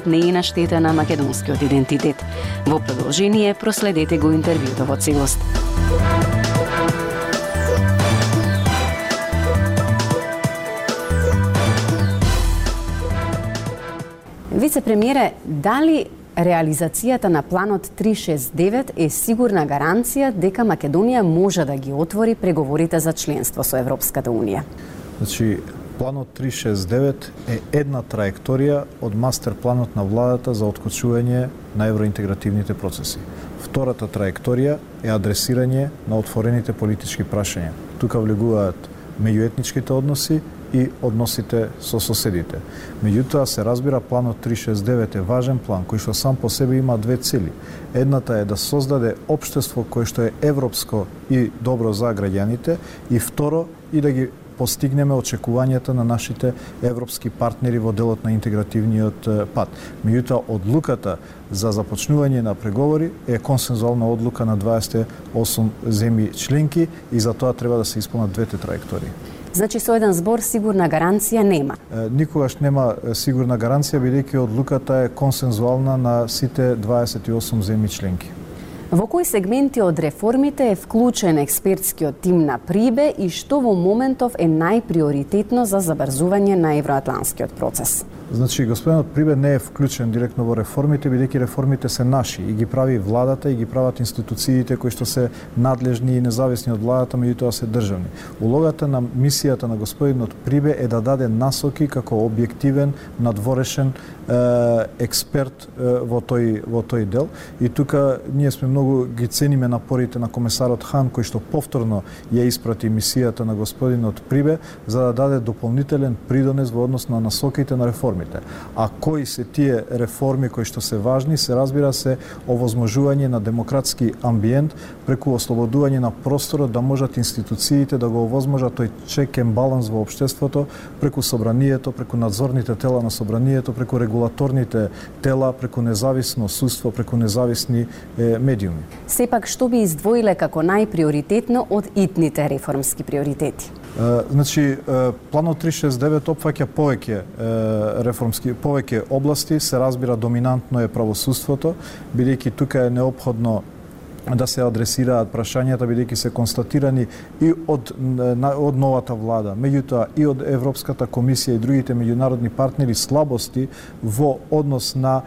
не е на штета на македонскиот идентитет. Во продолжение проследете го интервјуто во целост. Вице-премиере, дали реализацијата на планот 369 е сигурна гаранција дека Македонија може да ги отвори преговорите за членство со Европската Унија? Значи, планот 369 е една траекторија од мастер планот на владата за откочување на евроинтегративните процеси. Втората траекторија е адресирање на отворените политички прашања. Тука влегуваат меѓуетничките односи и односите со соседите. Меѓутоа се разбира планот 369 е важен план кој што сам по себе има две цели. Едната е да создаде општество кое што е европско и добро за граѓаните, и второ и да ги постигнеме очекувањата на нашите европски партнери во делот на интегративниот пат. Меѓутоа, одлуката за започнување на преговори е консензуална одлука на 28 земји членки и за тоа треба да се исполнат двете траектории. Значи, со еден збор сигурна гаранција нема? Никогаш нема сигурна гаранција, бидејќи одлуката е консензуална на сите 28 земји членки. Во кои сегменти од реформите е вклучен експертскиот тим на Прибе и што во моментов е најприоритетно за забрзување на евроатланскиот процес? Значи, господинот Прибе не е вклучен директно во реформите, бидејќи реформите се наши и ги прави владата и ги прават институциите кои што се надлежни и независни од владата, меѓутоа се државни. Улогата на мисијата на господинот Прибе е да даде насоки како објективен, надворешен експерт во тој дел. И тука ние сме многу ги цениме напорите на комесарот Хан, кој што повторно ја испрати мисијата на господинот Прибе за да даде дополнителен придонес во однос на насоките на реформи. А кои се тие реформи кои што се важни, се разбира се овозможување на демократски амбиент преку ослободување на просторот да можат институциите да го овозможат тој чек енд баланс во општеството преку собранието, преку надзорните тела на собранието, преку регулаторните тела, преку независно судство, преку независни медиуми. Сепак, што би издвоиле како најприоритетно од итните реформски приоритети? Значи, планот 369 опфаќа повеќе области, се разбира доминантно е правосудството, бидејќи тука е неопходно да се адресираат прашањата, бидејќи се констатирани и од новата влада, меѓутоа и од Европската комисија и другите меѓународни партнери слабости во однос на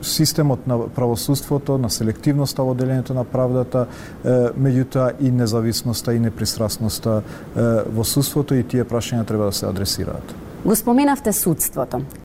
системот на правосудството, на селективноста во делењето на правдата, меѓутоа и независноста и непристрасноста во судството, и тие прашања треба да се адресираат. Го споменавте судството.